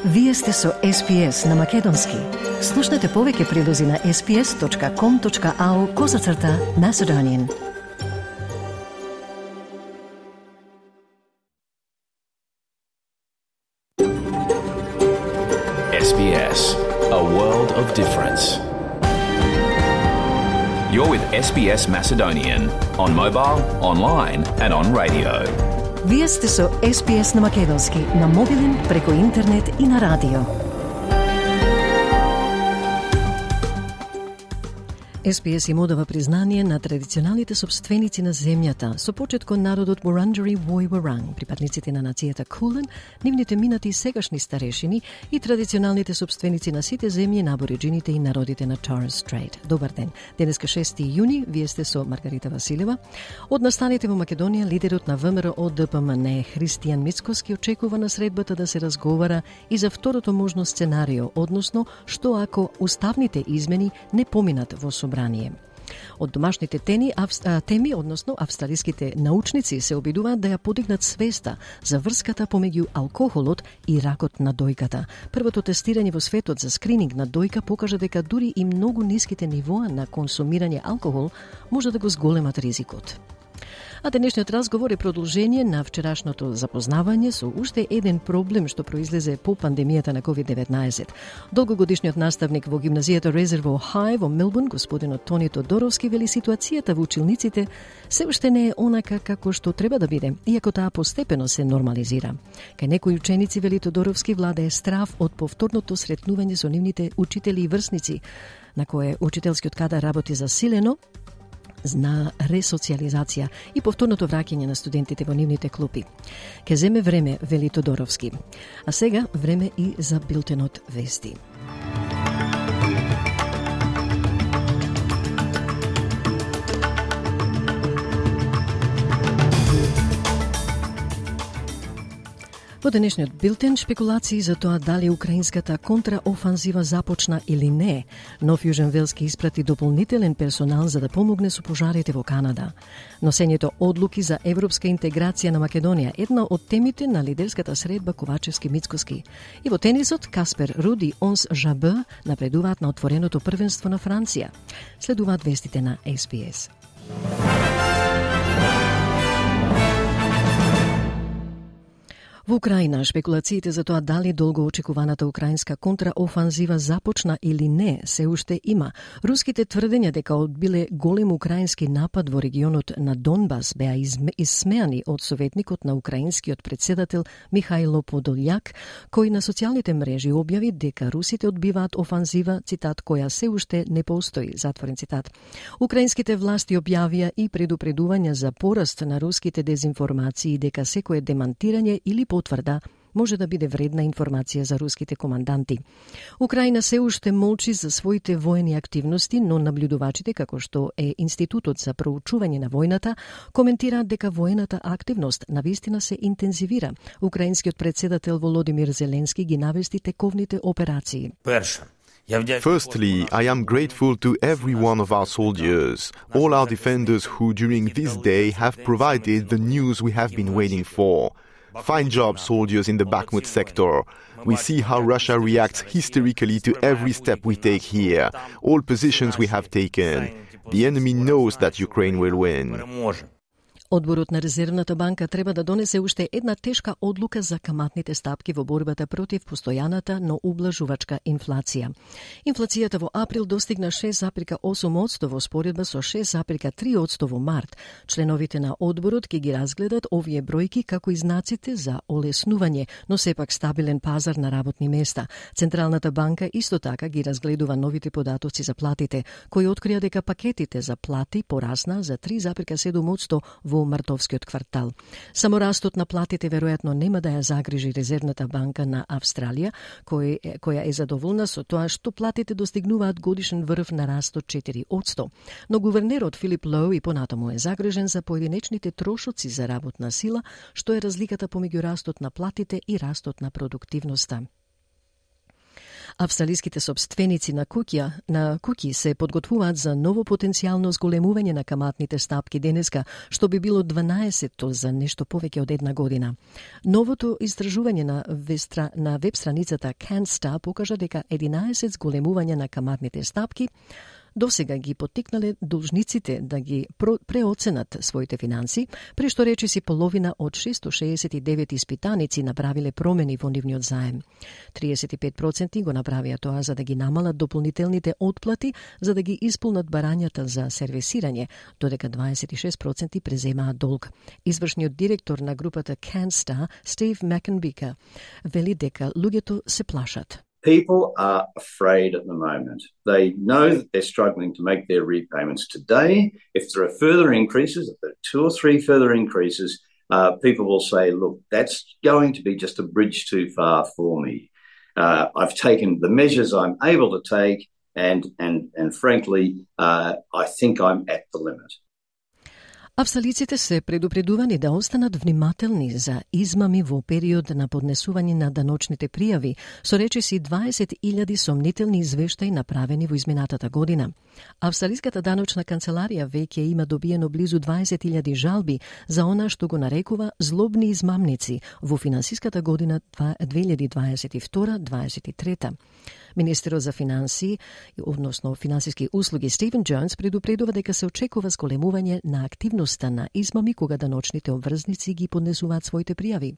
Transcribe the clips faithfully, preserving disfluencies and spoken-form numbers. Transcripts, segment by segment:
Вие сте со Ес Би Ес на Македонски. Слушнете повеќе прилози на ес би ес точка ком точка ау козацрта Macedonian. Ес Би Ес, a world of difference. You're with Ес Би Ес Macedonian on mobile, online and on radio. Вие сте со Ес Би Ес на Македонски, на мобилен, преку интернет и на радио. Ес Би Ес им одава признание на традиционалните собственици на земјата, со почет кон народот Вуранџари Вој-Варанг, припадниците на нацијата Кулен, нивните минати и сегашни старешини и традиционалните собственици на сите земји на абориџините и народите на Торес Стрейт. Добар ден. Денеска шести јуни, вие сте со Маргарита Василева. Од настаните во Македонија, лидерот на ВМРО Д П М Н Христијан Мицкоски очекува на средбата да се разговара и за второто можно сценарио, односно што ако уставните измени не поминат во собрание. Од домашните теми, авс, теми, односно австралиските научници се обидуваат да ја подигнат свеста за врската помеѓу алкохолот и ракот на дојката. Првото тестирање во светот за скрининг на дојка покажа дека дури и многу ниските нивоа на консумирање алкохол може да го зголемат ризикот. А денешниот разговор е продолжение на вчерашното запознавање со уште еден проблем што произлезе по пандемијата на ковид деветнаесет. Долгогодишниот наставник во гимназијата Резерво Хај во Мелбурн, господинот Тони Тодоровски, вели ситуацијата во училниците се уште не е онака како што треба да биде, иако таа постепено се нормализира. Кај некои ученици, вели Тодоровски, владее страв од повторното сретнување со нивните учители и врсници, на кое учителскиот кадар работи засилено на ресоциализација и повторното враќање на студентите во нивните клупи. Ке земе време, вели Тодоровски. А сега време и за билтенот вести. Во денешниот билтен шпекулации за тоа дали украинската контраофанзива започна или не. Нов Јужен Велски испрати дополнителен персонал за да помогне со пожарите во Канада. Носењето одлуки за европска интеграција на Македонија, една од темите на лидерската средба Ковачевски-Мицкоски. И во тенисот Каспер Руд и Онс Жабе напредуваат на отвореното првенство на Франција. Следуваат вестите на Ес Би Ес. Во Украина, шпекулациите за тоа дали долго очекуваната украинска контраофанзива започна или не се уште има. Руските тврдења дека одбиле голем украински напад во регионот на Донбас беа исмеани од советникот на украинскиот председател Михајло Подолјак, кој на социјалните мрежи објави дека русите одбиваат офанзива, цитат, која се уште не постои, затворен цитат. Украинските власти објавија и предупредувања за пораст на руските дезинформации дека секое демантирање или потврда може да биде вредна информација за руските команданти. Украина се уште молчи за своите воени активности, но наблюдувачите, како што е Институтот за проучување на војната, коментираат дека воената активност навистина се интензивира. Украинскиот председател Володимир Зеленски ги навести тековните операции. Firstly, I am grateful to every one of our soldiers, all our defenders who during this day have provided the news we have been waiting for. Fine job, soldiers in the Bakhmut sector. We see how Russia reacts hysterically to every step we take here, all positions we have taken. The enemy knows that Ukraine will win. Одборот на Резервната банка треба да донесе уште една тешка одлука за каматните стапки во борбата против постојаната, но ублажувачка инфлација. Инфлацијата во април достигна шест зарез осум одсто во споредба со шест зарез три одсто во март. Членовите на одборот ќе ги разгледат овие бројки како и знаците за олеснување, но сепак стабилен пазар на работни места. Централната банка исто така ги разгледува новите податоци за платите, кои открија дека пакетите за плати порасна за три зарез седум одсто во мартовскиот квартал. Само растот на платите веројатно нема да ја загрижи Резервната банка на Австралија, кој, која е задоволна со тоа што платите достигнуваат годишен врв на раст од четири одсто. Но гувернерот Филип Лоу и понатаму е загрижен за поединечните трошоци за работна сила, што е разликата помеѓу растот на платите и растот на продуктивноста. Австралиските собственици на куќа, на куќи се подготвуваат за ново потенцијално зголемување на каматните стапки денеска, што би било дванаесетто за нешто повеќе од една година. Новото истражување на, вестра, на веб страницата CanStar покажа дека единаесет зголемувања на каматните стапки досега ги поттикнале должниците да ги преоценат своите финанси, при што речиси половина од шестоста шеесет и девет испитаници направиле промени во нивниот заем. триесет и пет проценти го направија тоа за да ги намалат дополнителните отплати, за да ги исполнат барањата за сервисирање, додека дваесет и шест проценти преземаат долг. Извршниот директор на групата CanStar, Стив Макенбика, вели дека луѓето се плашат. People are afraid at the moment. They know that they're struggling to make their repayments today. If there are further increases, if there are two or three further increases, uh, people will say, look, that's going to be just a bridge too far for me. Uh, I've taken the measures I'm able to take, and, and, and frankly, uh, I think I'm at the limit. Австралиците се предупредувани да останат внимателни за измами во период на поднесување на даночните пријави, со речиси дваесет илјади сомнителни извештаи направени во изминатата година. Австралиската даночна канцеларија веќе има добиено близу дваесет илјади жалби за она што го нарекува злобни измамници во финансиската година две илјади дваесет и втора дваесет и трета. Министерот за финансии, односно финансиски услуги Стивен Джонс предупредува дека се очекува зголемување на активноста на измами кога даночните обврзници ги поднесуваат своите пријави.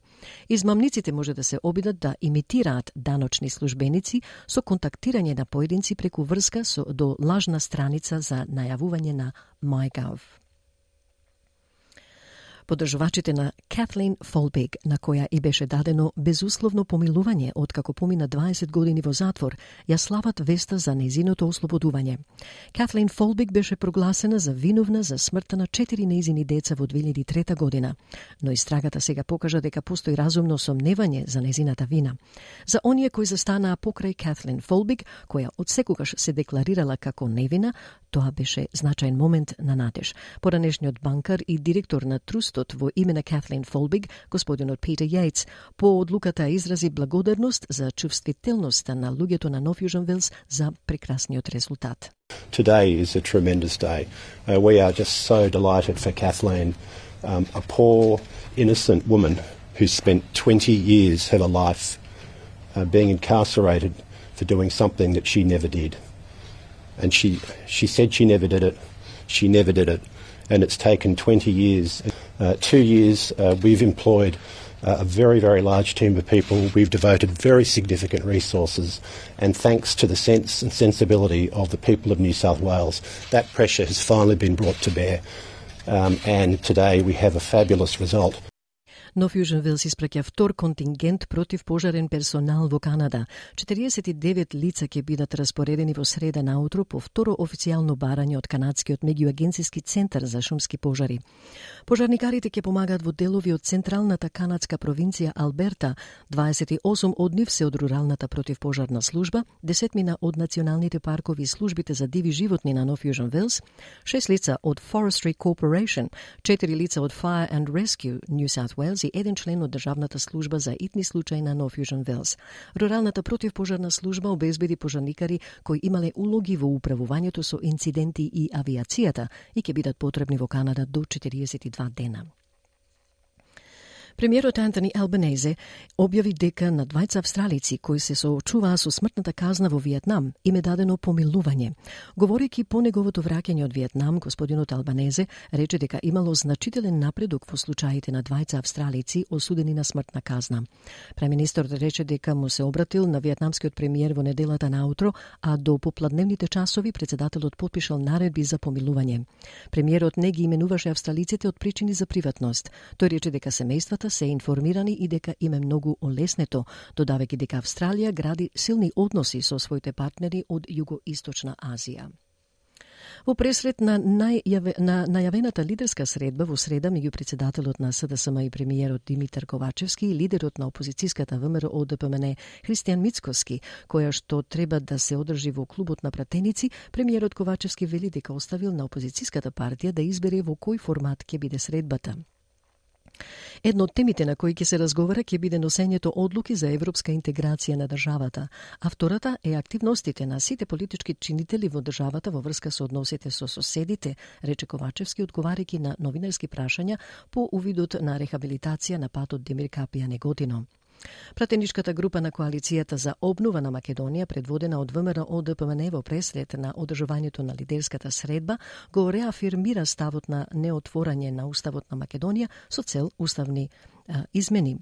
Измамниците може да се обидат да имитираат даночни службеници со контактирање на поединци преку врска со, до лажна страница за најавување на MyGov. Подржувачите на Катлин Фолбиг, на која и беше дадено безусловно помилување откако помина дваесет години во затвор, ја слават веста за нејзиното ослободување. Катлин Фолбиг беше прогласена за виновна за смртта на четири нејзини деца во две илјади и трета година, но истрагата сега покажа дека постои разумно сомневање за нејзината вина. За оние кои застанаа покрај Катлин Фолбиг, која одсекогаш се декларирала како невина, тоа беше значаен момент на надеж. Поранешниот банкар и директор на Трустот во име на Катлин Фолбиг, господинот Питер Јејтс, по одлуката изрази благодарност за чувствителноста на луѓето на Нов Јужен Велс за прекрасниот резултат. Today is a tremendous day. Uh, we are just so delighted for Kathleen, um, a poor, innocent woman who spent twenty years of her life uh, being incarcerated for doing something that she never did. And she, she said she never did it. She never did it. And it's taken twenty years. Uh, two years uh, we've employed uh, a very, very large team of people. We've devoted very significant resources. And thanks to the sense and sensibility of the people of New South Wales, that pressure has finally been brought to bear. Um, and today we have a fabulous result. Нов Јужен Велс испраќа втор контингент против пожарен персонал во Канада. четириесет и девет лица ќе бидат распоредени во среда наутро по второ официјално барање од канадскиот меѓуагенцијски центар за шумски пожари. Пожарникарите ќе помагаат во делови од централната канадска провинција Алберта, дваесет и осум од нив се од руралната противпожарна служба, десет мина од националните паркови и службите за диви животни на Нов Јужен Велс, шест лица од Forestry Corporation, четири лица од Fire and Rescue New South Wales и еден член од Државната служба за итни случаи на Нов Јужен Велс. Руралната противпожарна служба обезбеди пожарникари кои имале улоги во управувањето со инциденти и авиацијата и ќе бидат потребни во Канада до четириесет и два дена. Премиерот Антони Албанезе објави дека на двајца австралици кои се соочуваа со смртната казна во Виетнам им е дадено помилување. Говорејќи по неговото враќање од Виетнам, господинот Албанезе рече дека имало значителен напредок во случаите на двајца австралици осудени на смртна казна. Премиерот рече дека му се обратил на виетнамскиот премиер во неделата наутро, а до попладневните часови претседателот потпишал наредби за помилување. Премиерот не ги именуваше австралиците од причини за приватност. Тој рече дека семејствата се информирани и дека им е многу олеснето, додавајќи дека Австралија гради силни односи со своите партнери од Југоисточна Азија. Во пресрет на, најаве, на најавената лидерска средба во среда меѓу претседателот на СДСМ и премиерот Димитар Ковачевски и лидерот на опозицијската ВМРО ДПМН Христијан Мицкоски, која што треба да се одржи во клубот на пратеници, премиерот Ковачевски вели дека оставил на опозицијската партија да избере во кој формат ќе биде средбата. Едно од темите на кои ќе се разговара ќе биде носењето одлуки за европска интеграција на државата, а втората е активностите на сите политички чинители во државата во врска со односите со соседите, рече Ковачевски одговарајќи на новинарски прашања по увидот на рехабилитација на патот Демир Капија Неготино. Пратеничката група на Коалицијата за обнова на Македонија, предводена од ВМРО Д П М Н во пресред на одржувањето на лидерската средба, го реафирмира ставот на неотворање на Уставот на Македонија со цел уставни а, измени.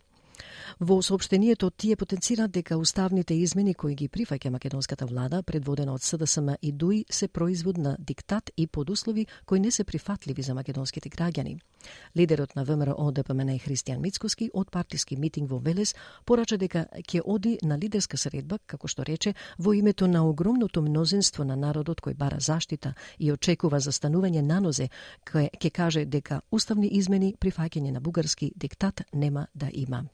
Во соопштението тие потенцираат дека уставните измени кои ги прифаќа македонската влада, предводена од С Д С М и Д У И, се производ на диктат и подуслови кои не се прифатливи за македонските граѓани. Лидерот на ВМРО Д П М Н Христијан Мицкоски од партиски митинг во Велес порача дека ќе оди на лидерска средба, како што рече, во името на огромното мнозинство на народот кој бара заштита и очекува застанување на нозе, кој ќе каже дека уставни измени прифаќање на бугарски диктат нема да има.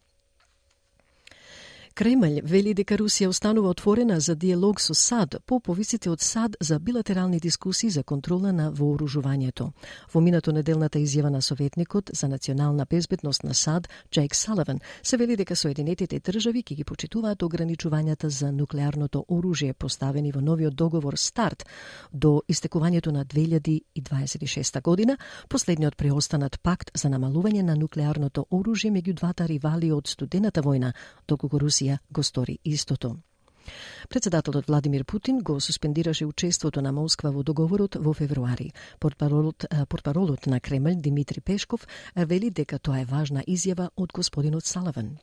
Кремљ вели дека Русија останува отворена за диалог со САД по повиците од САД за билатерални дискусии за контрола на вооружувањето. Во минато неделната изјава на советникот за национална безбедност на САД, Джейк Саливан, се вели дека Соединетите држави ќе ги почитуваат ограничувањата за нуклеарното оружје поставени во новиот договор СТАРТ до истекувањето на две илјади и дваесет и шеста година, последниот преостанат пакт за намалување на нуклеарното оружје меѓу двата ривали од студената војна, доколку Русија го стори истото. Председателот Владимир Путин го суспендираше учеството на Москва во договорот во февруари. Портпаролот, портпаролот на Кремљ Димитри Пешков вели дека тоа е важна изјава од господинот Саливан.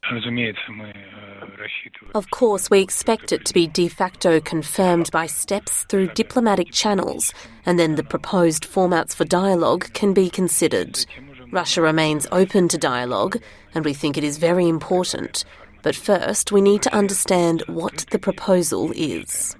Of course, we expect it to be de facto confirmed by steps through diplomatic channels, and then the proposed formats for dialogue can be considered. Russia remains open to dialogue, and we think it is very important. But first, we need to understand what the proposal is.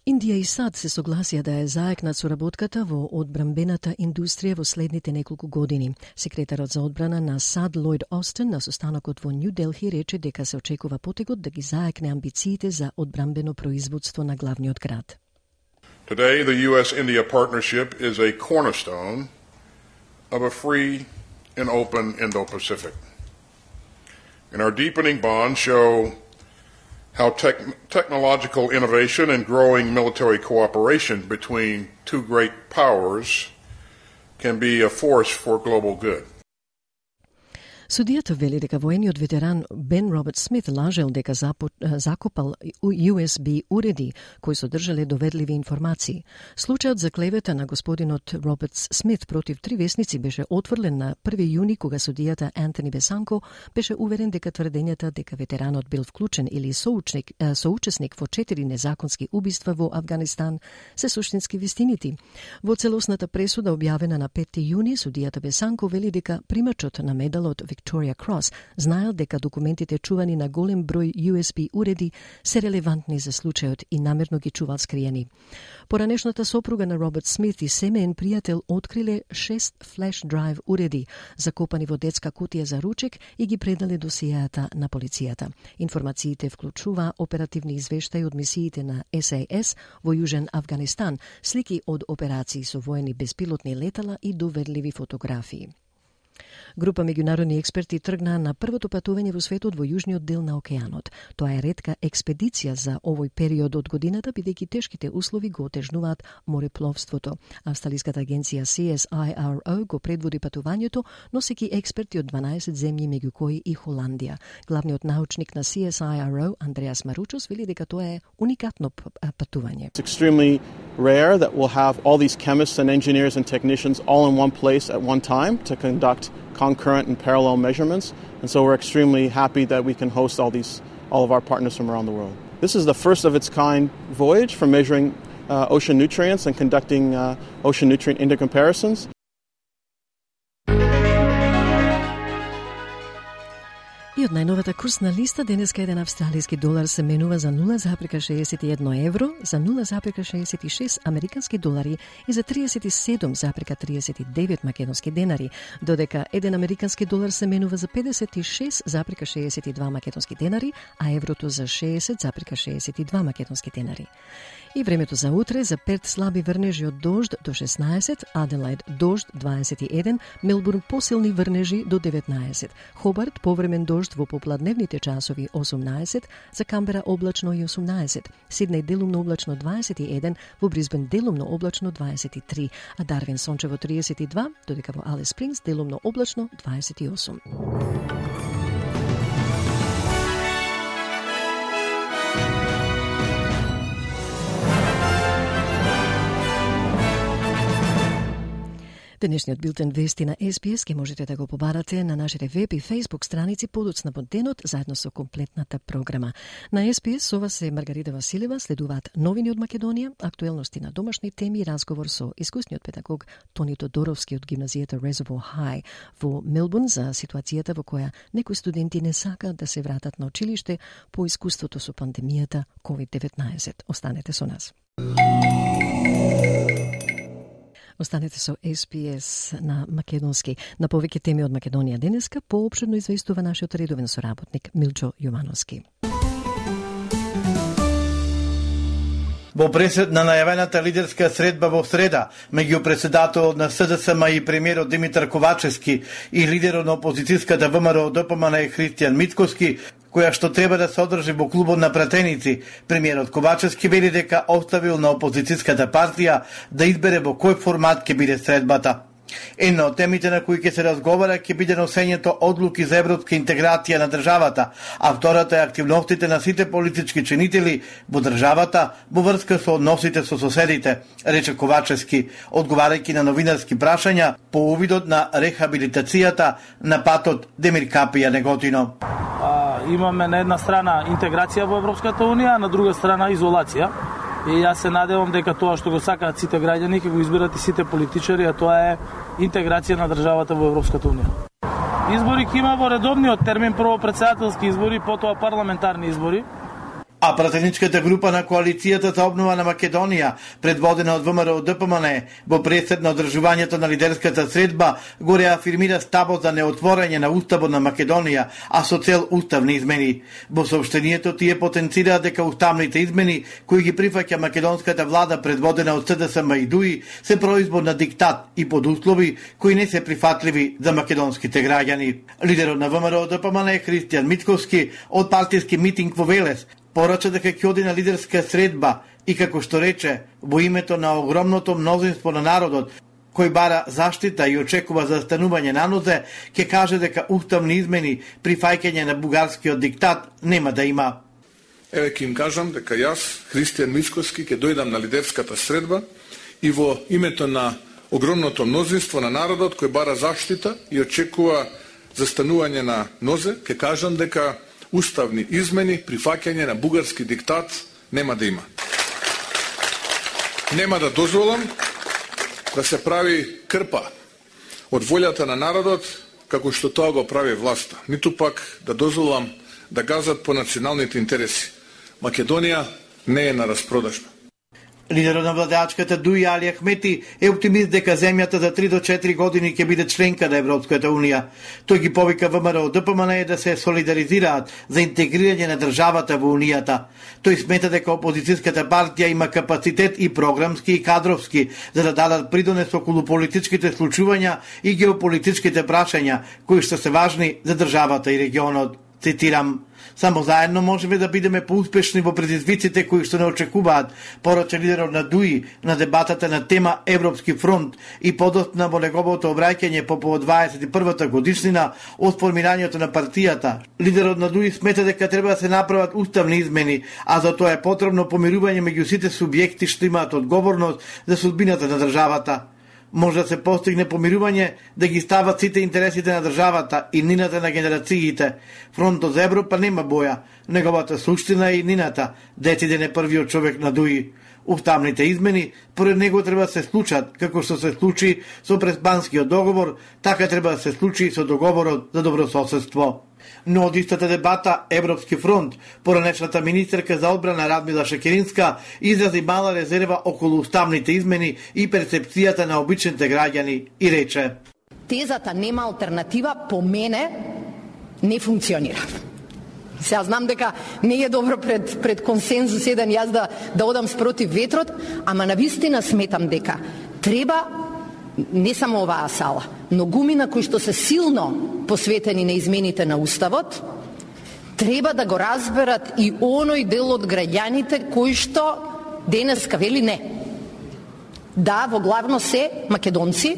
Индија и САД се согласија да ја заекнат соработката во одбранбената индустрија во следните неколку години. Секретарот за одбрана на САД Лојд Остин на состанокот во Нью Делхи рече дека се очекува потегот да ги заекне амбициите за одбранбено производство на главниот град. Today, the U S India partnership is a cornerstone of a free and open Indo-Pacific. And our deepening bonds show how tech- technological innovation and growing military cooperation between two great powers can be a force for global good. Судијата вели дека воениот ветеран Бен Роберт Смит лажел дека запо... закопал Ю Ес Би уреди кои содржале доверливи информации. Случајот за клевета на господинот Роберт Смит против три весници беше отврлен на први јуни кога судијата Антони Бесанко беше уверен дека тврдењата дека ветеранот бил вклучен или соучник, соучесник во четири незаконски убиства во Авганистан се суштински вистинити. Во целосната пресуда објавена на петти јуни, судијата Бесанко вели дека примачот на медалот Victoria Cross знаел дека документите чувани на голем број Ю Ес Би уреди се релевантни за случајот и намерно ги чувал скриени. Поранешната сопруга на Роберт Смит и семеен пријател откриле шест флеш драйв уреди закопани во детска кутија за ручек и ги предале досиеата на полицијата. Информациите вклучува оперативни извештаи од мисиите на Ес А Ес во Јужен Авганистан, слики од операции со воени безпилотни летала и доверливи фотографии. Група меѓународни експерти тргнаа на првото патување во светот во јужниот дел на океанот. Тоа е ретка експедиција за овој период од годината, бидејќи тешките услови го отежнуваат морепловството. Австралиската агенција Си Ес Ай Ар О го предводи патувањето, носејќи експерти од дванаесет земји, меѓу кои и Холандија. Главниот научник на Си Ес Ай Ар О, Андреас Маручос, вели дека тоа е уникатно патување. It's extremely rare that we'll have all these chemists and engineers and technicians all in one place at one time to conduct concurrent and parallel measurements, and so we're extremely happy that we can host all these, all of our partners from around the world. This is the first of its kind voyage for measuring uh, ocean nutrients and conducting uh, ocean nutrient intercomparisons. И од најновата курсна листа, денеска еден австралиски долар се менува за нула запирка шеесет и едно евро, за нула запирка шеесет и шест американски долари и за триесет и седум запирка триесет и девет македонски денари, додека еден американски долар се менува за педесет и шест запирка шеесет и два македонски денари, а еврото за шеесет запирка шеесет и два македонски денари. И времето за утре, за Перт слаби врнежи од дожд до шеснаесет, Аделаид дожд дваесет и еден, Мелбурн посилни врнежи до деветнаесет, Хобарт повремен дожд во попладневните часови осумнаесет, за Камбера облачно и осумнаесет, Сиднеј делумно облачно дваесет и еден, во Брисбен делумно облачно дваесет и три, а Дарвин сончево триесет и два, додека во Алис Спрингс делумно облачно дваесет и осум. Денешниот билтен вести на Ес Би Ес ке можете да го побарате на нашите веб и фейсбук страници подоцна под денот, заедно со комплетната програма. На Ес Би Ес со вас е Маргарита Василева, следуваат новини од Македонија, актуелности на домашни теми и разговор со искусниот педагог Тони Тодоровски од гимназијата Резервоар Хај во Мелбурн за ситуацијата во која некои студенти не сакаат да се вратат на училиште по искуството со пандемијата ковид деветнаесет. Останете со нас. Останете со Ес Би Ес на македонски. На повеќе теми од Македонија денеска поопширно известува нашиот редовен соработник Милчо Јовановски. Во пресед на најавената лидерска средба во среда меѓу председателот на С Д С М и премиерот Димитар Ковачевски и лидерот на опозицијската В М Р Д П М Н Христијан Мицкоски, која што треба да се одржи во клубот на пратеници, премиерот Ковачевски вели дека оставил на опозицијската партија да избере во кој формат ќе биде средбата. Една од темите на кои ќе се разговара ќе биде носењето одлуки за европска интеграција на државата, а втората е активностите на сите политички чинители во државата во врска со односите со соседите, рече Ковачевски, одговарајќи на новинарски прашања по увидот на рехабилитацијата на патот Демир Капија Неготино. А, имаме на една страна интеграција во Европската унија, а на друга страна изолација. И јас се надевам дека тоа што го сакаат сите граѓани ќе го изберат и сите политичари, а тоа е интеграција на државата во Европската унија. Избори ќе има во редовниот термин, прво председателски избори, потоа парламентарни избори. А пратеничката група на коалицијата за обнова на Македонија, предводена од В М Р Д П М Н, во пресед на одржувањето на лидерската средба, го реафирмира ставот за неотворање на Уставот на Македонија, а со цел уставни измени. Во соопштението тие потенцираат дека уставните измени, кои ги прифаќа македонската влада предводена од С Д С М и Д У И, се производ на диктат и под услови кои не се прифатливи за македонските граѓани. Лидерот на В М Р Д П М Н Христијан Мицкоски од партиски митинг во Велес порача дека ќе оди на лидерска средба и, како што рече, во името на огромното мнозинство на народот, кој бара заштита и очекува застанување на нозе, ќе каже дека уставни измени при фаќање на бугарскиот диктат нема да има. Еве ќе им кажам дека јас, Христијан Мицкоски, ќе дојдам на лидерската средба и во името на огромното мнозинство на народот кој бара заштита и очекува застанување на нозе, ќе кажам дека уставни измени при фаќање на бугарски диктат нема да има. Нема да дозволам да се прави крпа од волјата на народот, како што тоа го прави власта. Ниту пак да дозволам да газат по националните интереси. Македонија не е на распродажба. Лидерот на владеачката Д У И Али Ахмети е оптимист дека земјата за три до четири години ќе биде членка на Европската унија. Тој ги повика В М Р Д П М Н да се солидаризираат за интегрирање на државата во унијата. Тој смета дека опозицијската партија има капацитет и програмски и кадровски за да дадат придонес околу политичките случувања и геополитичките прашања кои што се важни за државата и регионот. Цитирам: само заедно можеме да бидеме поуспешни во предизвиците кои што не очекуваат, порача лидерот на Д У И на дебатата на тема Европски фронт и подоцна во неговото обраќање по повод дваесет и првата годишнина од формирањето на партијата. Лидерот на Д У И смета дека треба да се направат уставни измени, а за тоа е потребно помирување меѓу сите субјекти што имаат одговорност за судбината на државата. Може да се постигне помирување да ги стават сите интересите на државата и нината на генерациите. Фронтот за Европа нема боја, неговата суштина е и нината, дециден е првиот човек на Д У И. Уставните измени поред него треба да се случат, како што се случи со Преспанскиот договор, така треба да се случи со договорот за добрососедство. Но од истата дебата Европски фронт, поранешната министерка за одбрана Радмила Шекеринска изрази мала резерва околу уставните измени и перцепцијата на обичните граѓани и рече: Тезата нема алтернатива по мене не функционира. Сега знам дека не е добро пред, пред консензус еден јас да, да одам спротив ветрот, ама навистина сметам дека треба не само оваа сала, но гумина кои што се силно посветени на измените на Уставот, треба да го разберат и оној дел од граѓаните кои што денеска вели не. Да, во главно се македонци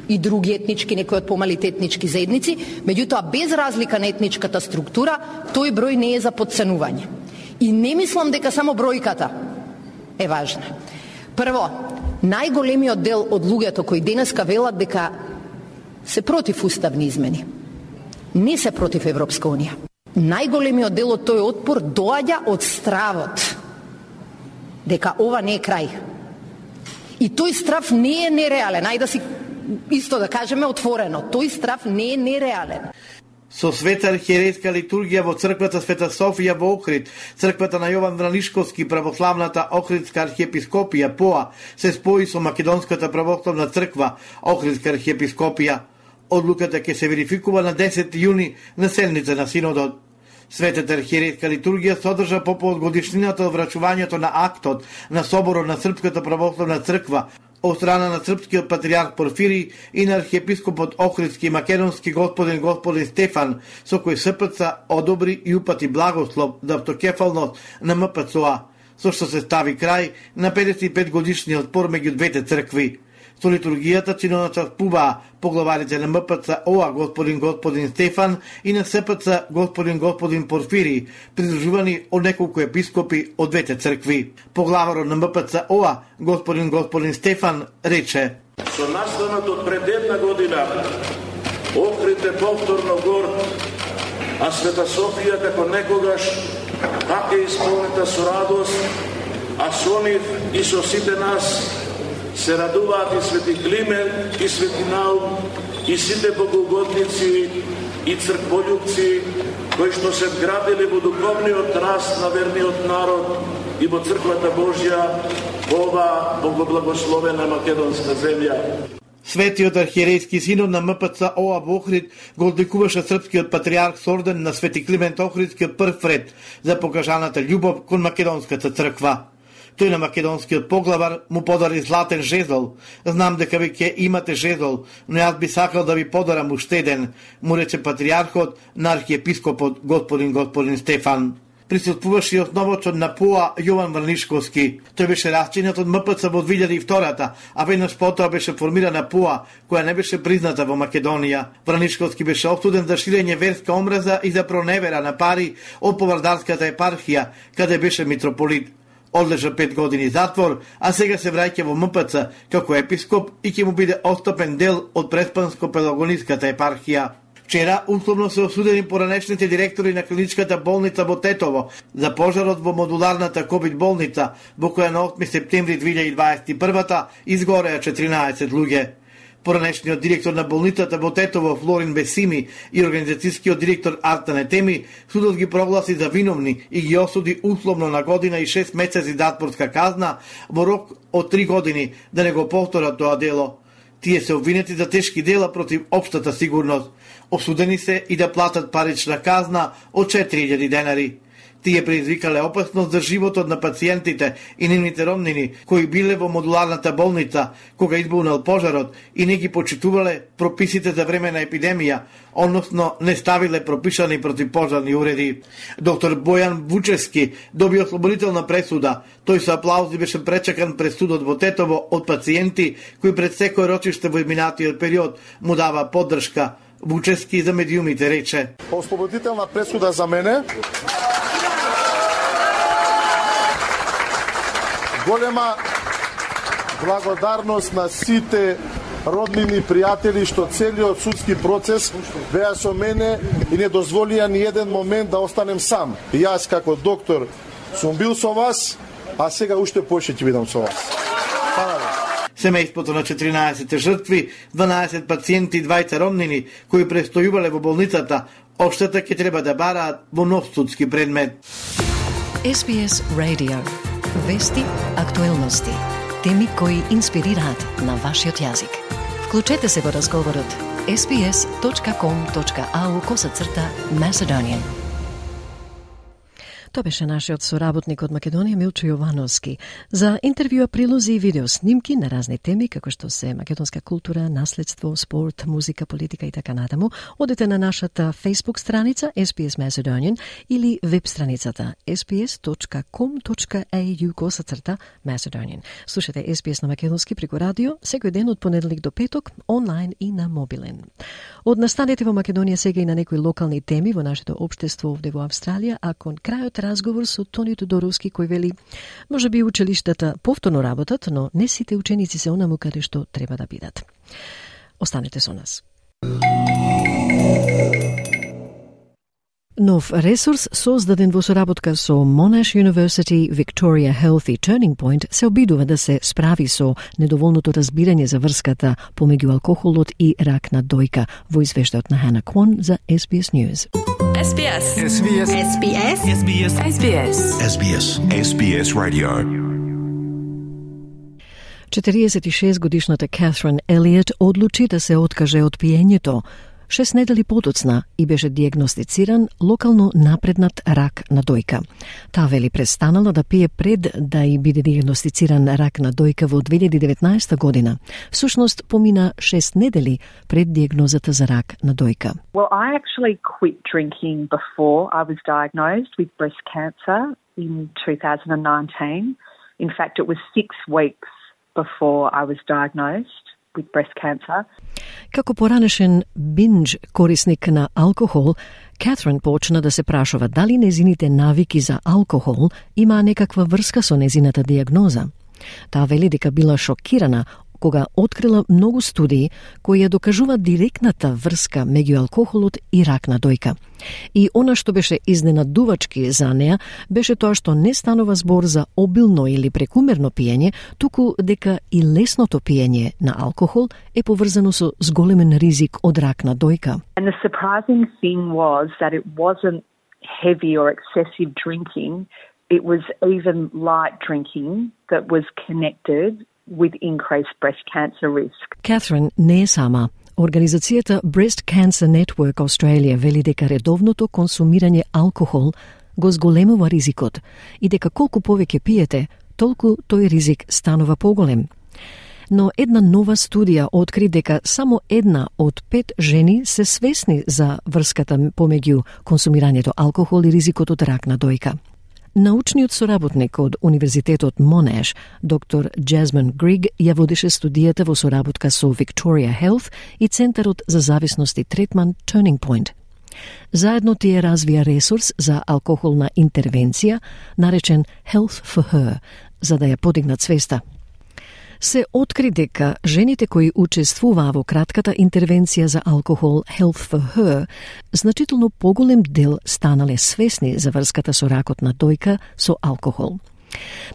и други етнички, некои од помалите етнички заедници, меѓутоа без разлика на етничката структура, тој број не е за подценување. И не мислам дека само бројката е важна. Прво, најголемиот дел од луѓето кои денеска велат дека се против уставни измени, не се против Европска унија. Најголемиот дел од тој отпор доаѓа од стравот дека ова не е крај. И тој страв не е нереален. Ајде да си исто да кажеме отворено, тој страв не е нереален. Со света архиерейска литургија во црквата Света Софија во Охрид, црквата на Јован Вранишковски, православната Охридска архиепископија ПОА се спои со Македонската православна црква Охридска архиепископија. Одлуката ќе се верификува на десети јуни на седница на Синодот. Светата архиерейска литургија содржа по годишнината од врачувањето на актот на соборот на Српската православна црква од страна на српскиот патриарх Порфирий и на архиепископот Охридски и македонски господин господин Стефан, со кој СПЦ одобри и упати благослов за автокефалност на МПЦО, со што се стави крај на педесет и пет годишниот спор меѓу двете цркви. Со литургијата чиноначаствуваа поглаварите на МПЦО господин господин Стефан и на СПЦ господин господин Порфирий, придружувани од неколку епископи од двете цркви. Поглаварот на МПЦО господин господин Стефан рече: Со настанот од пред една година Охрид е повторно горд, а Света Софија како некогаш пак е исполнета со радост, а со нив и со сите нас се радуваат и Свети Климент, и Свети Наум, и сите богоугодници и црквољубци, кои што се вградили во духовниот раст на верниот народ и во црквата Божја во оваа богоблагословена македонска земја. Светиот архиерейски синод на МПЦО во Охрид го одликуваше српскиот патриарх со орден на Свети Климент Охридски прв ред за покажаната љубов кон македонската црква. Тој на македонскиот поглавар му подари златен жезол. Знам дека ви ќе имате жезол, но јас би сакал да ви подарам уште еден, му рече патриархот на архиепископот господин господин Стефан. Присуствуваше и основачот на ПОА Јован Вранишковски. Тој беше расчинет од МПЦ во две илјади и втора, а веднаш потоа беше формирана ПОА, која не беше призната во Македонија. Вранишковски беше осуден за ширење верска омраза и за проневера на пари од Повардарската епархија, каде беше митрополит. Одлежа пет години затвор, а сега се враќа во МПЦ како епископ и ќе му биде отстапен дел од Преспанско-Пелагониската епархија. Вчера условно се осудени поранешните директори на клиничката болница во Тетово за пожарот во модуларната ковид болница, во која на осми септември две илјади дваесет и прва изгореа четиринаесет луѓе. Поранешниот директор на болницата во Тетово Флорин Бесими и организацијскиот директор Артан Етеми судот ги прогласи за виновни и ги осуди условно на година и шест месеци затворска казна во рок од три години да не го повторат тоа дело. Тие се обвинети за тешки дела против општата сигурност. Осудени се и да платат парична казна од четири илјади денари. Тие предизвикале опасност за животот на пациентите и нивните роднини кои биле во модуларната болница кога избунал пожарот и не ги почитувале прописите за време на епидемија, односно не ставиле пропишани противпожарни уреди. Доктор Бојан Вучевски доби ослободителна пресуда. Тој со аплаузи беше пречекан пред судот во Тетово од пациенти кои пред секој рочиште во изминатиот период му дава поддршка. Вучевски за медиумите рече: Ослободителна пресуда за мене. Голема благодарност на сите роднини, пријатели што целиот судски процес беа со мене и не дозволија ни еден момент да останем сам. И јас како доктор сум бил со вас, а сега уште повеќе ќе бидам со вас. Семејството на четиринаесет жртви, дванаесет пациенти и двајца ромнини кои престојувале во болницата, обштета ќе треба да бараат во нов судски предмет. Ес Би Ес Radio. Вести, актуелности, теми кои инспирираат на вашиот јазик. Вклучете се во разговорот ес би ес точка ком точка ау косацрта Macedonian. Тоа беше нашиот соработник од Македонија Милчо Јовановски за интервјуа, прилози и видео снимки на разни теми како што се македонска култура, наследство, спорт, музика, политика и така натаму. Одете на нашата Facebook страница ес би ес Macedonian или веб страницата ес би ес точка ком точка ау косацрта Macedonian. Слушате Ес Би Ес на македонски преку радио секој ден од понеделник до петок, онлайн и на мобилен. Од настанете во Македонија сега и на некои локални теми во нашето општество овде во Австралија, а кон крајот разговор со Тони Тодоровски кој вели може би училиштата повторно работат, но не сите ученици се онаму каде што треба да бидат. Останете со нас. Нов ресурс создаден во соработка со Monash University, Victoria Health и Turning Point се обидува да се справи со недоволното разбирање за врската помеѓу алкохолот и рак на дојка во извештајот на Hannah Kwon за Ес Би Ес News. Ес Би Ес. Ес Би Ес. Ес Би Ес. Ес Би Ес. Ес Би Ес. Ес Би Ес. Ес Би Ес Radio. четириесет и шест годишната Катрин Елиот одлучи да се откаже од пиењето. Шест недели подоцна и беше диагностициран локално напреднат рак на дојка. Таа вели престанала да пие пред да и биде диагностициран рак на дојка во две илјади и деветнаесета година. Всушност помина шест недели пред диагнозата за рак на дојка. Well, I actually quit drinking before I was diagnosed with breast cancer in two thousand nineteen. In fact, it was six weeks before I was diagnosed with breast cancer. Како поранешен биндж корисник на алкохол, Катрин почна да се прашува дали незините навики за алкохол има некаква врска со незината диагноза. Таа вели дека била шокирана кога открила многу студии кои ја докажуваат директната врска меѓу алкохолот и рак на дојка. И она што беше изненадувачки за неа беше тоа што не станува збор за обилно или прекумерно пиење, туку дека и лесното пиење на алкохол е поврзано со зголемен ризик од рак на дојка. And the surprising thing was that it wasn't heavy or excessive drinking, it was even light drinking that was connected with increased breast cancer risk. Катрин не е сама. Организацијата Breast Cancer Network Australia вели дека редовното консумирање алкохол го зголемува ризикот и дека колку повеќе пиете, толку тој ризик станува поголем. Но една нова студија откри дека само една од пет жени се свесни за врската помеѓу консумирањето алкохол и ризикот од рак на дојка. Научниот соработник од Универзитетот Monash, доктор Jasmine Grigg, ја водеше студијата во соработка со Victoria Health и Центарот за зависност и третман Turning Point. Заедно тие развија ресурс за алкохолна интервенција, наречен Health for Her, за да ја подигнат свеста. Се откри дека жените кои учествуваа во кратката интервенција за алкохол Health for Her, значително поголем дел станале свесни за врската со ракот на дојка со алкохол.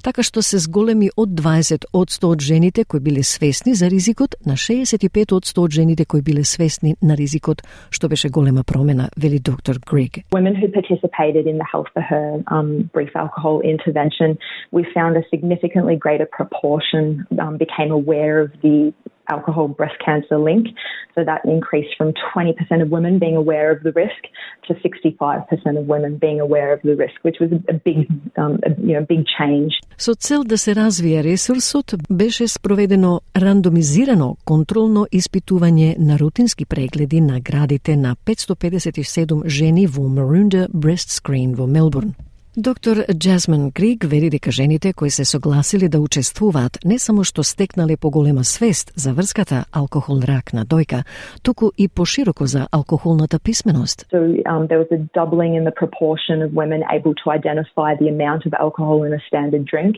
Така што се зголеми од дваесет одсто од жените кои биле свесни за ризикот на шеесет и пет одсто од жените кои биле свесни на ризикот, што беше голема промена, вели доктор Grigg. Women who participated in the Health for Her um, brief alcohol intervention, we found a significantly greater proportion um, became aware of the alcohol breast cancer link. So that increased from twenty percent of women being aware of the risk to sixty-five percent of women being aware of the risk, which was a big, um, a, you know, big change. Со цел да се развие ресурсот, беше спроведено рандомизирано контролно испитување на рутински прегледи на градите на петстотини педесет и седум жени во Maroondah Breast Screen во Мелбурн. Доктор Jasmine Grigg вели дека жените кои се согласили да учествуваат не само што стекнале поголема свест за врската алкохол-рак на дојка, туку и пошироко за алкохолната писменост. So um, there was a doubling in the proportion of women able to identify the amount of alcohol in a standard drink.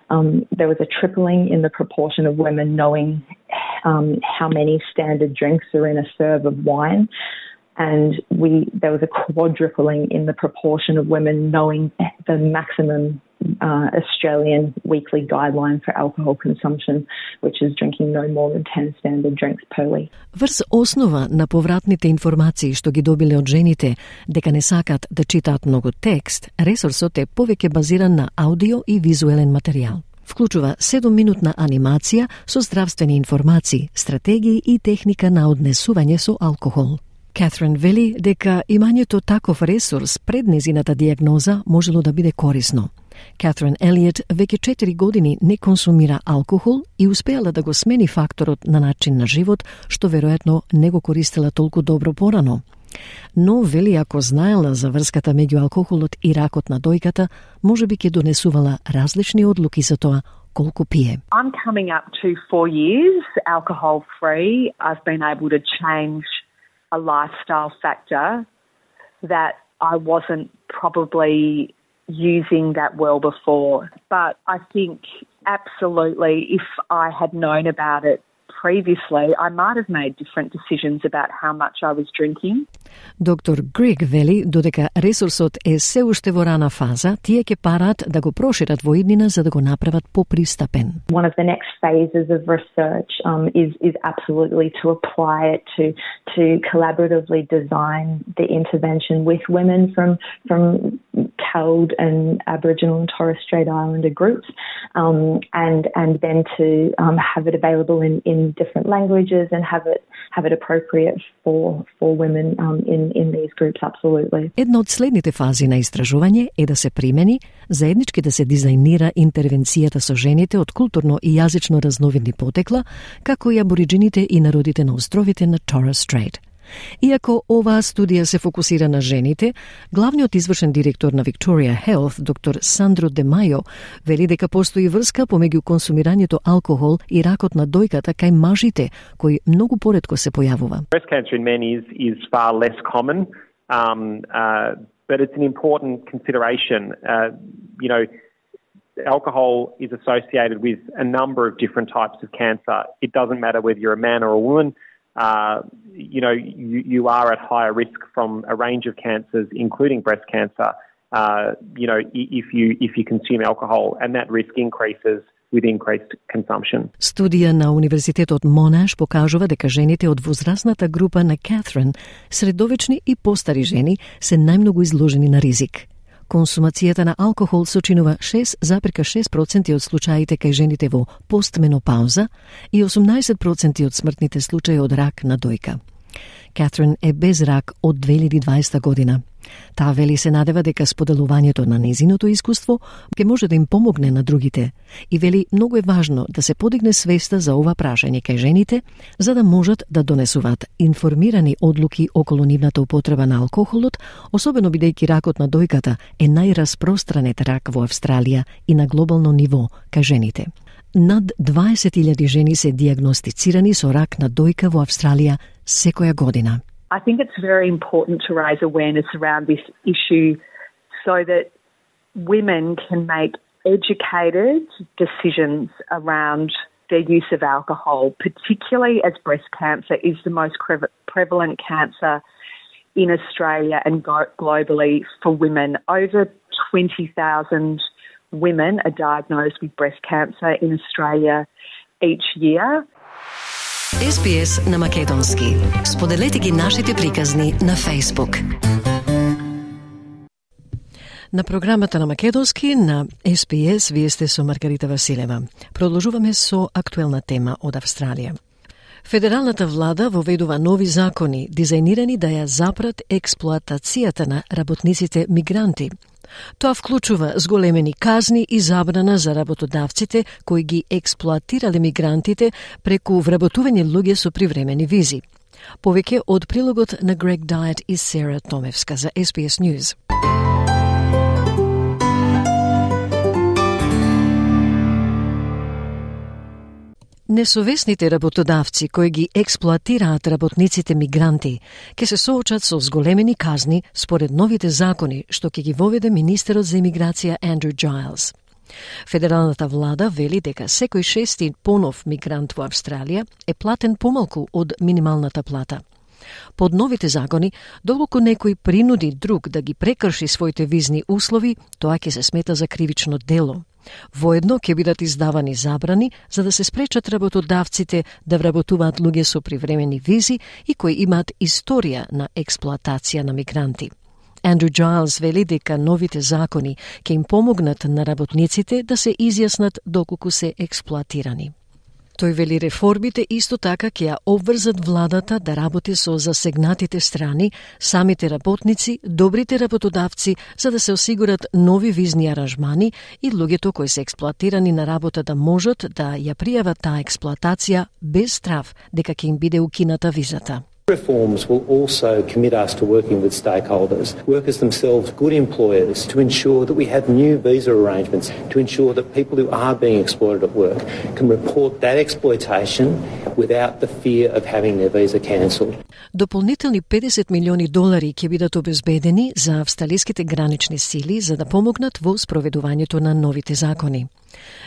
Um, there was a tripling in the proportion of women knowing um, how many standard drinks are in a serve of wine. And we there was a quadrupling in the proportion of women knowing the maximum uh, Australian weekly guideline for alcohol consumption, which is drinking no more than ten standard drinks per week. Врз основа на повратните информации што ги добиле од жените дека не сакат да читаат многу текст, ресурсот е повеќе базиран на аудио и визуелен материјал. Вклучува седумминутна анимација со здравствени информации, стратегии и техника на однесување со алкохол. Катрин вели дека имањето таков ресурс пред незината диагноза можело да биде корисно. Катрин Елиот веќе четири години не консумира алкохол и успеала да го смени факторот на начин на живот, што веројатно не го користела толку добро порано. Но вели ако знаела за врската меѓу алкохолот и ракот на дојката, можеби ќе донесувала различни одлуки за тоа колку пие. I'm coming up to four years alcohol free. I've been able to change a lifestyle factor that I wasn't probably using that well before. But I think absolutely if I had known about it previously, I might have made different decisions about how much I was drinking. Доктор Грег вели додека ресурсот е се уште во рана фаза, тие ќе парат да го прошират во иднина за да го направат попристапен. One of the next phases of research um, is is absolutely to apply it to to collaboratively design the intervention with women from from C A L D and Aboriginal and Torres Strait Islander groups, um, and and then to um, have it available in in different languages and have it have it appropriate for for women um, in in these groups. Absolutely. Една од следните фази на истражување е да се примени заеднички да се дизајнира интервенцијата со жените од културно и јазично разновидни потекла, како и абориџините и народите на островите на Torres Strait. Иако оваа студија се фокусира на жените, главниот извршен директор на Victoria Health, доктор Сандро Де Мајо, вели дека постои врска помеѓу консумирањето алкохол и ракот на дојката кај мажите, кој многу поретко се појавува. Breast cancer in men is is far less common, um, uh, but it's an important consideration. Uh, you know, alcohol is associated with a number of different types of cancer. It doesn't matter whether you're a man or a woman. Uh, you know, you, you are at higher risk from a range of cancers, including breast cancer, uh, you know, if you if you consume alcohol, and that risk increases with increased consumption. Студија на Универзитетот Монаш покажува дека жените од возрастната група на Катрин, средовечни и постари жени, се најмногу изложени на ризик. Консумацијата на алкохол сочинува шест зарез шест проценти од случаите кај жените во постменопауза и осумнаесет проценти од смртните случаи од рак на дојка. Катрин е без рак од две илјади и дваесета година. Таа вели се надева дека споделувањето на незиното искуство ќе може да им помогне на другите и вели многу е важно да се подигне свеста за ова прашање кај жените за да можат да донесуваат информирани одлуки околу нивната употреба на алкохолот, особено бидејќи ракот на дојката е најраспространет рак во Австралија и на глобално ниво кај жените. Над дваесет илјади жени се диагностицирани со рак на дојка во Австралија секоја година. I think it's very important to raise awareness around this issue so that women can make educated decisions around their use of alcohol, particularly as breast cancer is the most prevalent cancer in Australia and globally for women. Over twenty thousand women are diagnosed with breast cancer in Australia each year. Ес Би Ес на македонски. Споделете ги нашите приказни на Facebook. На програмата на македонски на Ес Би Ес вие сте со Маргарита Василева. Продолжуваме со актуелна тема од Австралија. Федералната влада воведува нови закони дизајнирани да ја запрат експлоатацијата на работниците мигранти. Тоа вклучува зголемени казни и забрана за работодавците кои ги експлоатирале мигрантите преку вработување луѓе со привремени визи. Повеќе од прилогот на Грег Дайет и Сера Томевска за Ес Би Ес News. Несовесните работодавци кои ги експлоатираат работниците мигранти ќе се соочат со зголемени казни според новите закони што ќе ги воведе министерот за имиграција Андрю Джайлс. Федералната влада вели дека секој шести понов мигрант во Австралија е платен помалку од минималната плата. Под новите закони, доколку некој принуди друг да ги прекрши своите визни услови, тоа ќе се смета за кривично дело. Воедно ќе бидат издавани забрани за да се спречат работодавците да вработуваат луѓе со привремени визи и кои имаат историја на експлоатација на мигранти. Андрю Джайлс вели дека новите закони ќе им помогнат на работниците да се изјаснат доколку се експлоатирани. Тој вели реформите исто така ќе ја обврзат владата да работи со засегнатите страни, самите работници, добрите работодавци, за да се осигурат нови визни аранжмани и луѓето кои се експлоатирани на работа да можат да ја пријават таа експлоатација без страв дека ќе им биде укината визата. Reforms will also commit us to working with stakeholders, workers themselves, good employers, to ensure that we have new visa arrangements, to ensure that people who are being exploited at work can report that exploitation without the fear of having their visa cancelled. Дополнителни педесет милиони долари ќе бидат обезбедени за австралиските гранични сили за да помогнат во спроведувањето на новите закони.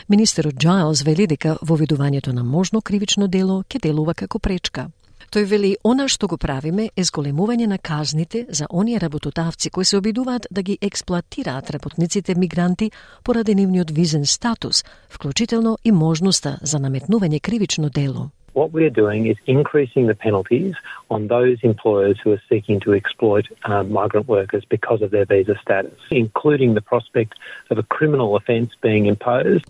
Министерот Джайлс вели дека воведувањето на можно кривично дело ќе делува како пречка. Тој вели, она што го правиме е зголемување на казните за оние работодавци кои се обидуваат да ги експлоатираат работниците мигранти поради нивниот визен статус, вклучително и можноста за наметнување кривично дело. What we are doing is increasing the penalties on those employers who are seeking to exploit uh, migrant workers because of their visa status, including the prospect of a criminal offence being imposed.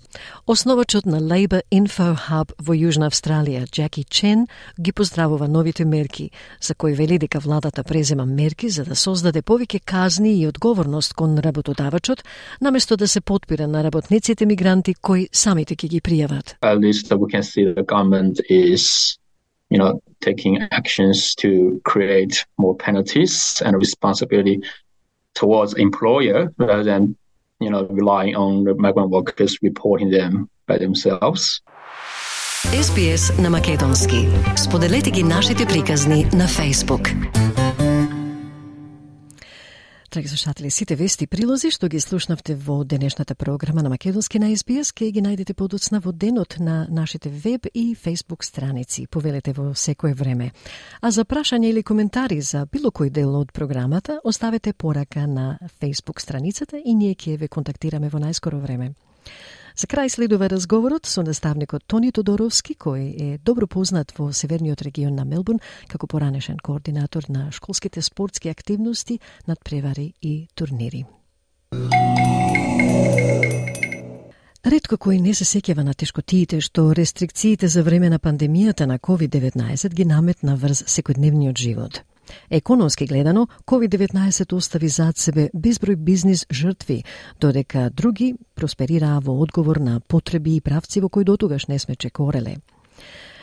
Основачот на Labour Info Hub во Јужна Австралија, Джеки Чен, ги поздравува новите мерки, за кои вели дека владата презема мерки за да создаде повеќе казни и одговорност кон работодавачот, наместо да се потпира на работниците мигранти кои самите ќе ги пријават. At least we can see the government is is, you know, taking actions to create more penalties and responsibility towards employer rather than, you know, relying on the migrant workers reporting them by themselves. Ес Би Ес на македонски. Споделете ги нашите приказни на Facebook. Драги слушатели, сите вести и прилози што ги слушнавте во денешната програма на македонски на Ес Би Ес ке ги најдете подоцна во денот на нашите веб и Facebook страници. Повелете во секое време. А за прашање или коментари за било кој дел од програмата, оставете порака на Facebook страницата и ние ќе ве контактираме во најскоро време. За крај следува разговорот со наставникот Тони Тодоровски, кој е добро познат во северниот регион на Мелбурн како поранешен координатор на школските спортски активности, надпревари и турнири. Ретко кој не се сеќава на тешкотиите што рестрикциите за време на пандемијата на ковид деветнаесет ги наметна врз секојдневниот живот. Економски гледано, ковид деветнаесет остави зад себе безброј бизнис жртви, додека други просперираа во одговор на потреби и правци во кои дотогаш не сме чекореле.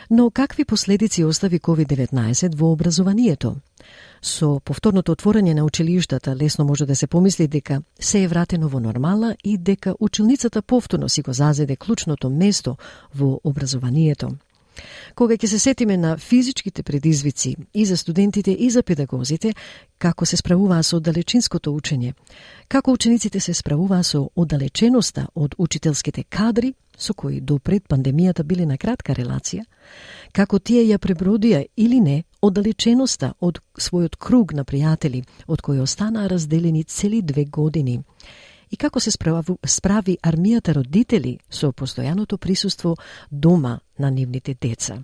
Но какви последици остави ковид деветнаесет во образованието? Со повторното отворање на училиштата лесно може да се помисли дека се е вратено во нормала и дека училницата повторно си го зазеде клучното место во образованието. Кога ќе се сетиме на физичките предизвици и за студентите и за педагозите, како се справуваа со оддалечинското учење, како учениците се справуваа со оддалеченоста од учителските кадри, со кои до пред пандемијата биле на кратка релација, како тие ја пребродија или не оддалеченоста од својот круг на пријатели, од кои останаа разделени цели две години, и како се справи, справи армијата родители со постојаното присуство дома на нивните деца.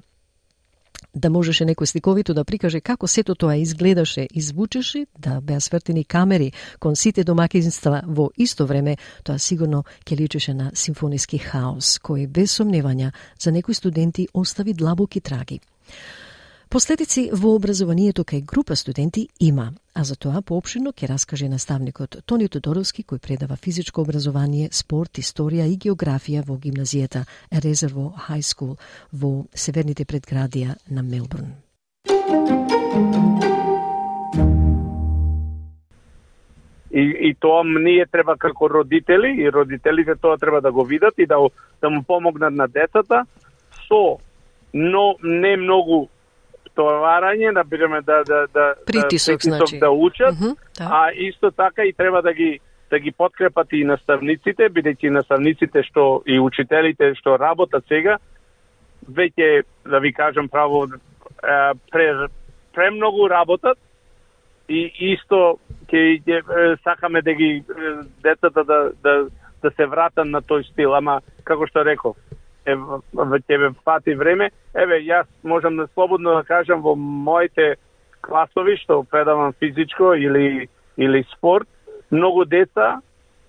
Да можеше некој сликовито да прикаже како сето тоа изгледаше и звучеше, да беа свртени камери кон сите домакинства во исто време, тоа сигурно ќе личеше на симфониски хаос, кој без сомневања за некои студенти остави длабоки траги. Последици во образованието кај група студенти има, а за тоа поопширно ќе раскаже наставникот Тони Тодоровски, кој предава физичко образование, спорт, историја и географија во гимназијата Резерво High School во северните предградија на Мелбурн. И, и тоа ние треба како родители, и родителите тоа треба да го видат и да, да му помогнат на децата со но не многу товарање, да бидеме да да да притисок, да, значи да учат, mm-hmm, да. А исто така и треба да ги да ги подкрепат и наставниците, бидејќи наставниците што и учителите што работат сега, веќе да ви кажам право премногу работат и исто ќе сакаме да ги децата да да да се вратат на тој стил, ама како што реков, е ќе ве фати време. Еве јас можам да слободно да кажам во моите класови што предавам физичко или или спорт, многу деца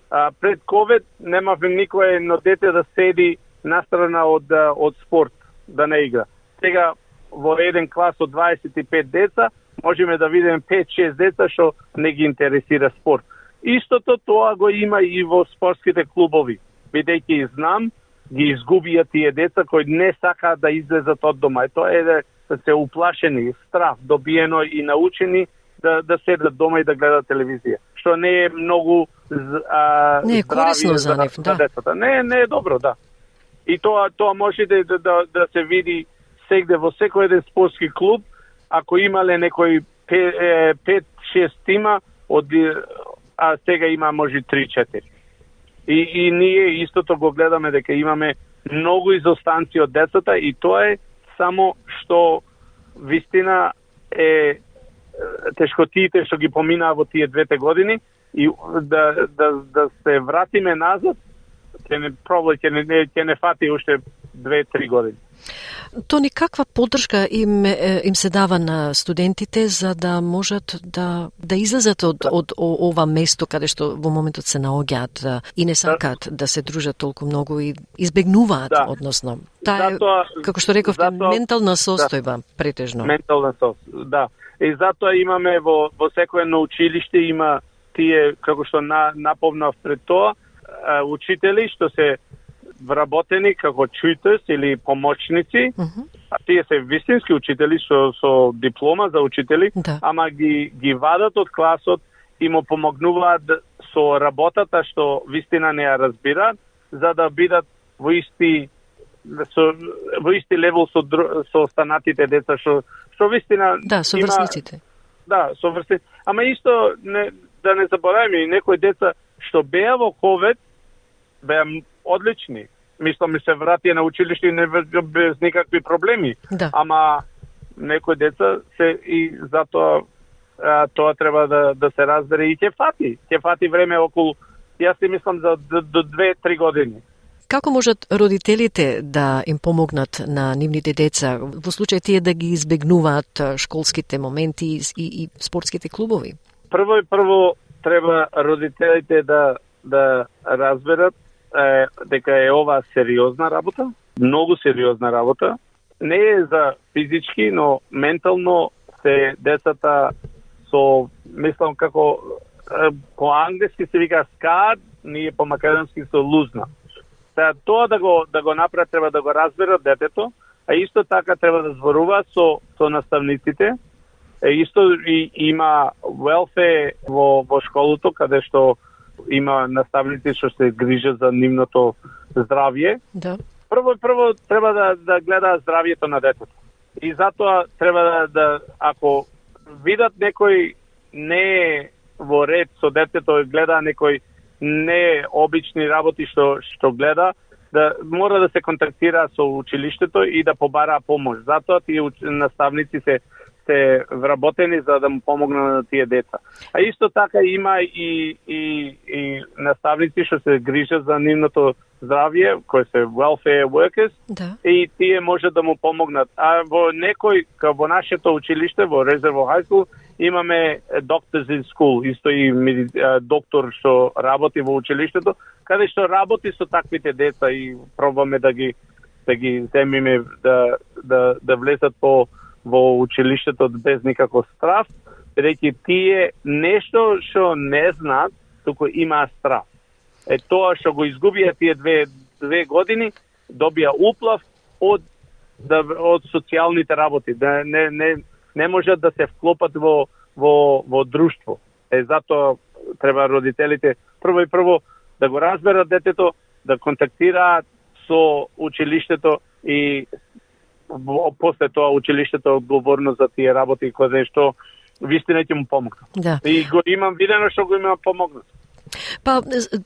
а, пред ковид немавме никое едно дете да седи настрана од од спорт да не игра. Сега во еден клас од дваесет и пет деца можеме да видиме пет-шест деца што не ги интересира спорт. Истото тоа го има и во спортските клубови. Бидејќи знам, ги изгубија тие деца кои не сакаат да излезат од дома. И тоа е да се уплашени, страх, добиено и научени да да седат дома и да гледат телевизија. Што не е многу а, не е корисно за нив, да. Децата. Не, не е добро, да. И тоа тоа може да да, да, да се види сегде во секој еден спортски клуб, ако имале некој пет-шест тима, од, а сега има може три-четири. И, и ние истото го гледаме дека имаме многу изостанци од децата и тоа е само што вистина е тешкотиите што ги поминаа во тие двете години и да, да, да се вратиме назад, ќе не пробај, ќе не, ќе не фати уште две-три години. Тони, каква поддршка им, им се дава на студентите за да можат да, да излезат од, од ова место каде што во моментот се наоѓаат и не сакаат да, да се дружат толку многу и избегнуваат, да. Односно. Таа е, како што рековте, затоа, ментална состојба, да, претежно. Ментална состојба, да. И затоа имаме во, во секој едно училиште има тие, како што на, наповнав пред тоа, учители што се вработени како tutors или помочници, uh-huh. а тие се вистински учители со, со диплома за учители, да. Ама ги, ги вадат од класот и му помогнуваат со работата што вистина не ја разбираат, за да бидат во исти со, во исти левел со, со останатите деца што што вистина да, со врсниците. Да, со врсниците. Ама исто не, да не забораваме и некои деца што беа во ковид беа одлични. Мислам, се вратија на училиште и не без никакви проблеми. Да. Ама некои деца се и затоа а, тоа треба да да се разбере и ќе фати. Ќе фати време околу, јас си мислам за до, до две-три години. Како можат родителите да им помогнат на нивните деца во случај тие да ги избегнуваат школските моменти и, и, и спортските клубови? Прво и прво треба родителите да да разберат е, дека е ова сериозна работа, многу сериозна работа. Не е за физички, но ментално се децата со, мислам како е, по англиски се вика scarred, ние по македонски со лузна. Та, тоа да го да го направат треба да го разберат детето, а исто така треба да зборува со со наставниците. Е, исто и има welfare во во школото каде што има наставници што се грижат за нивното здравје. Да. Прво прво треба да да гледа здравјето на детето. И затоа треба да, да ако видат некој не во ред со детето, гледа некој не обични работи што што гледа, да мора да се контактира со училиштето и да побара помош. Затоа тие наставници се се вработени за да му помогнат на тие деца. А исто така има и и и наставници што се грижат за нивното здравје, кои се welfare workers, да. И тие може да му помогнат. А во некој, како во нашето училиште, во Резерво High School, имаме doctors in school, исто и доктор што работи во училиштето, каде што работи со таквите деца и пробаме да ги да ги земиме да да да влезат по во училиштето без никаков страв, бидејќи тие нешто што не знаат, туку имаа страв. Е тоа што го изгубија тие две две години, добија уплав од да, од социјалните работи, да не не не можат да се вклопат во во во друштво. Е затоа треба родителите прво и прво да го разберат детето, да контактираат со училиштето и после тоа училиштето е одговорно за тие работи кои што вистина ќе му помогнат. Да. И го имам видено што го имам помогнат. Па,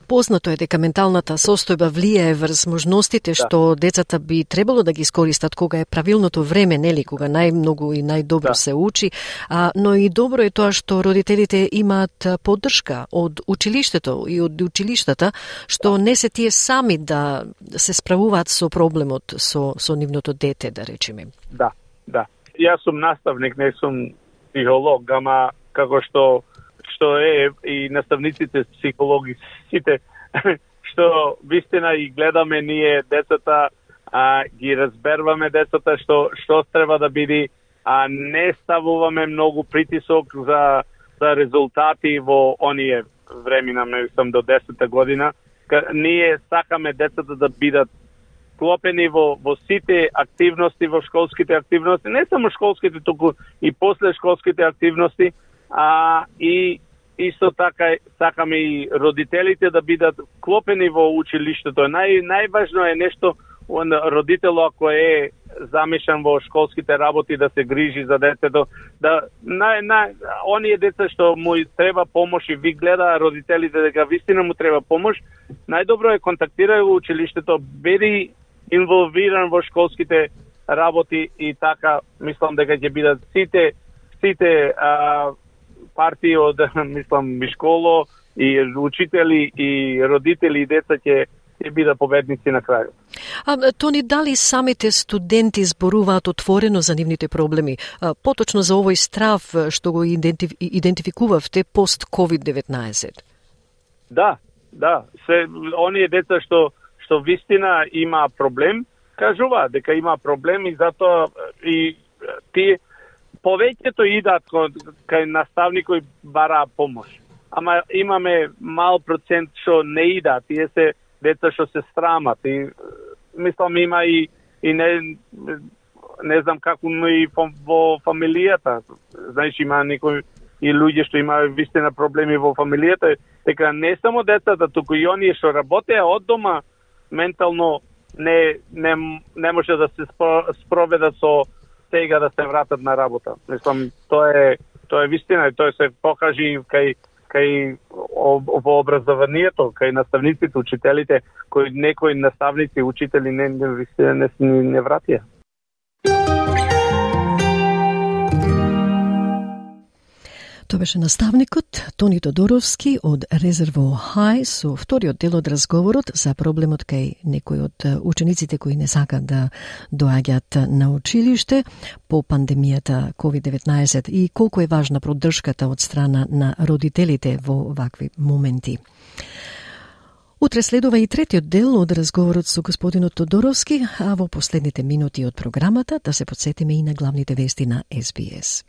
познато е дека менталната состојба влијае врз можностите Да. што децата би требало да ги искористат кога е правилното време, нели, кога најмногу и најдобро Да. се учи, а, но и добро е тоа што родителите имаат поддршка од училиштето и од училиштата, што не се тие сами да се справуваат со проблемот со, со нивното дете, да речеме. Да, да. Јас сум наставник, не сум психолог, ама како што што е и наставниците психологи сите што вистина и гледаме ние децата, а, ги разберваме децата што што треба да биде, а не ставуваме многу притисок за за резултати во оние времена, мислам до десета година. Ка, ние сакаме децата да бидат клопени во, во сите активности, во школските активности, не само школските, туку и после школските активности, а и исто така сакаме и родителите да бидат клопени во училиштето. Нај, најважно е нешто, родител ако е замешан во школските работи да се грижи за детето, да на, на оние деца што му треба помош и ви гледа родителите дека вистина му треба помош, најдобро е контактирај во училиштето, биди инволвиран во школските работи и така мислам дека ќе бидат сите сите а, партии од мислам и школо и учители и родители и деца ќе ќе бидат победници на крајот. А, Тони, дали самите студенти зборуваат отворено за нивните проблеми? А, поточно за овој страв што го идентиф... идентификувавте пост-ковид деветнаесет? Да, да. Се, оние деца што што вистина има проблем, кажуваат дека има проблем и затоа и тие повеќето идат кај наставник кој бара помош. Ама имаме мал процент што не идат, тие се деца што се срамат и мислам има и и не не знам како и во фамилијата. Знаеш, има некои и луѓе што имаат вистина проблеми во фамилијата, дека не само децата, туку и оние што работеа од дома ментално не не не може да се спроведат со сега да се вратат на работа. Мислам, тоа е тоа е вистина и тоа се покажи кај кај во образованието, кај наставниците, учителите, кои некои наставници, учители не не не, не, не вратија. Тоа беше наставникот Тони Тодоровски од Резерво Хај со вториот дел од разговорот за проблемот кај некои од учениците кои не сакат да доаѓаат на училиште по пандемијата ковид деветнаесет и колку е важна поддршката од страна на родителите во вакви моменти. Утре следува и третиот дел од разговорот со господинот Тодоровски, а во последните минути од програмата да се подсетиме и на главните вести на Ес Би Ес.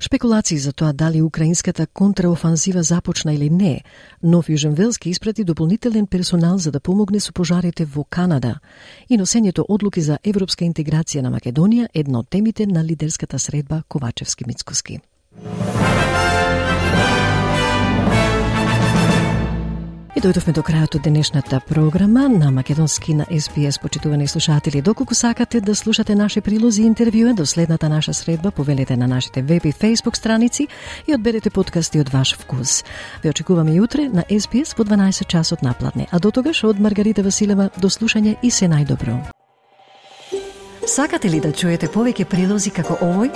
Шпекулации за тоа дали украинската контраофанзива започна или не, Нов Јужен Велски испрати дополнителен персонал за да помогне со пожарите во Канада и носењето одлуки за европска интеграција на Македонија, една од темите на лидерската средба Ковачевски-Мицкоски. И дојдовме до крајот од денешната програма на Македонски на Ес Би Ес, почитувани слушатели. Доколку сакате да слушате наши прилози и интервјуа до следната наша средба, повелете на нашите веб и фейсбук страници и одберете подкасти од ваш вкус. Ве очекуваме и утре на Ес Би Ес по дванаесет часот напладне. А до тогаш од Маргарита Василева до слушање и се најдобро. Сакате ли да чуете повеќе прилози како овој?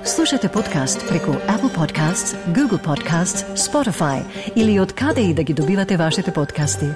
Слушате подкаст преку Apple Podcasts, Google Podcasts, Spotify или од каде и да ги добивате вашите подкасти.